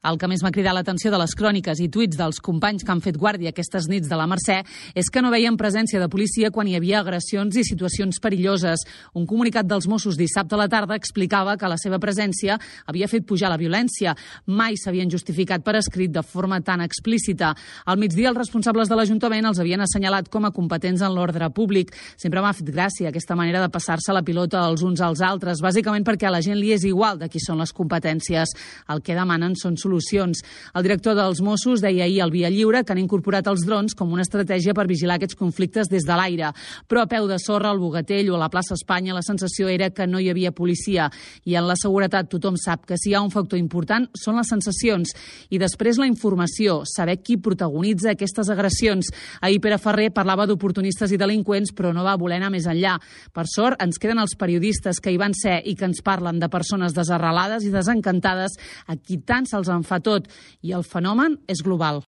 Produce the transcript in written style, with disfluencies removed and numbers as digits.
El que més m'ha cridat l'atenció de les cròniques i tuits dels companys que han fet guàrdia aquestes nits de la Mercè és que no veien presència de policia quan hi havia agressions i situacions perilloses. Un comunicat dels Mossos dissabte a la tarda explicava que la seva presència havia fet pujar la violència. Mai s'havien justificat per escrit de forma tan explícita. Al migdia, els responsables de l'Ajuntament els havien assenyalat com a competents en l'ordre públic. Sempre m'ha fet gràcia aquesta manera de passar-se la pilota els uns als altres, bàsicament perquè a la gent li és igual de qui són les competències. El que demanen són solucions. El director dels Mossos deia ahir al Via Lliure que han incorporat els drons com una estratègia per vigilar aquests conflictes des de l'aire. Però a peu de sorra, al Bogatell o a la plaça Espanya, la sensació era que no hi havia policia. I en la seguretat tothom sap que si hi ha un factor important són les sensacions. I després la informació, saber qui protagonitza aquestes agressions. Ahir Pere Ferrer parlava d'oportunistes i delinqüents, però no va voler anar més enllà. Per sort, ens queden els periodistes que hi van ser i que ens parlen de persones desarrelades i desencantades a qui tant se'ls en fa tot. I el fenomen és global.